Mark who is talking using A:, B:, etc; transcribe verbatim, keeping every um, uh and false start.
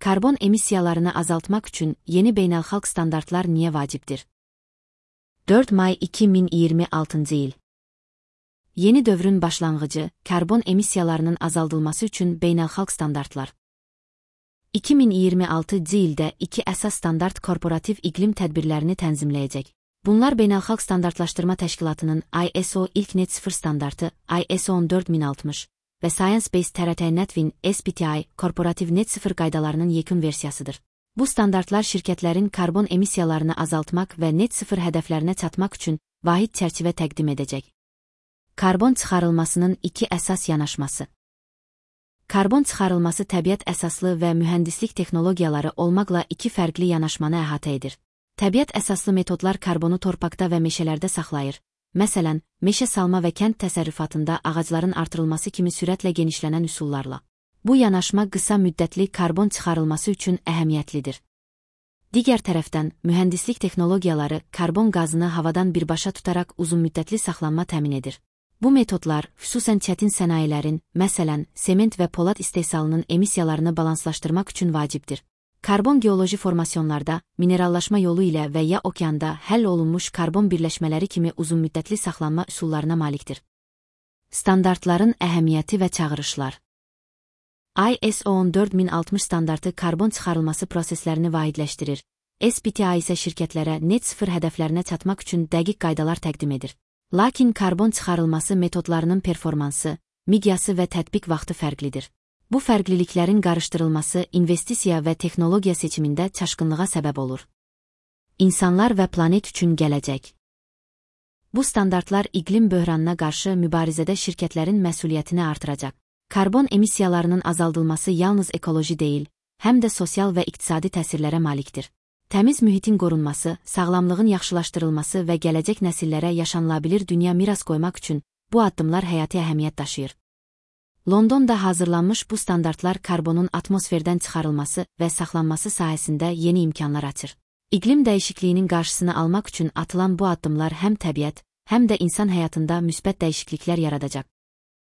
A: Karbon emissiyalarını azaltmak üçün yeni beynəlxalq standartlar niyə vacibdir? dörd may iki min iyirmi altıncı il. Yeni dövrün başlanğıcı, karbon emissiyalarının azaldılması üçün beynəlxalq standartlar. iki min iyirmi altıncı ildə iki əsas standart korporativ iqlim tədbirlərini tənzimləyəcək. Bunlar Beynəlxalq Standartlaşdırma Təşkilatının I S O ilk net sıfır standartı I S O on dörd min altmış və Science Based Target Initiative S B T I korporativ net sıfır qaydalarının yekun versiyasıdır. Bu standartlar şirkətlərin karbon emissiyalarını azaltmaq və net sıfır hədəflərinə çatmaq üçün vahid çərçivə təqdim edəcək. Karbon çıxarılmasının iki əsas yanaşması. Karbon çıxarılması təbiət əsaslı və mühəndislik texnologiyaları olmaqla iki fərqli yanaşmanı əhatə edir. Təbiət əsaslı metodlar karbonu torpaqda və meşələrdə saxlayır. Məsələn, meşə salma və kənd təsərrüfatında ağacların artırılması kimi sürətlə genişlənən üsullarla. Bu yanaşma qısa müddətli karbon çıxarılması üçün əhəmiyyətlidir. Digər tərəfdən, mühəndislik texnologiyaları karbon qazını havadan birbaşa tutaraq uzunmüddətli saxlanma təmin edir. Bu metodlar, xüsusən çətin sənayelərin, məsələn, sement və polad istehsalının emissiyalarını balanslaşdırmaq üçün vacibdir. Karbon geoloji formasyonlarda, minerallaşma yolu ilə və ya okeanda həll olunmuş karbon birləşmələri kimi uzunmüddətli saxlanma üsullarına malikdir. Standartların əhəmiyyəti və çağırışlar. I S O on dörd min altmış standartı karbon çıxarılması proseslərini vahidləşdirir. S B T I isə şirkətlərə net sıfır hədəflərinə çatmaq üçün dəqiq qaydalar təqdim edir. Lakin karbon çıxarılması metodlarının performansı, miqyası və tətbiq vaxtı fərqlidir. Bu fərqliliklərin qarışdırılması investisiya və texnologiya seçimində çaşqınlığa səbəb olur. İnsanlar və planet üçün gələcək. Bu standartlar iqlim böhranına qarşı mübarizədə şirkətlərin məsuliyyətini artıracaq. Karbon emissiyalarının azaldılması yalnız ekoloji deyil, həm də sosial və iqtisadi təsirlərə malikdir. Təmiz mühitin qorunması, sağlamlığın yaxşılaşdırılması və gələcək nəsillərə yaşanılabilir dünya miras qoymaq üçün bu addımlar həyati əhəmiyyət daşıyır. Londonda hazırlanmış bu standartlar karbonun atmosferdən çıxarılması və saxlanması sahəsində yeni imkanlar açır. İqlim dəyişikliyinin qarşısını almaq üçün atılan bu addımlar həm təbiət, həm də insan həyatında müsbət dəyişikliklər yaradacaq.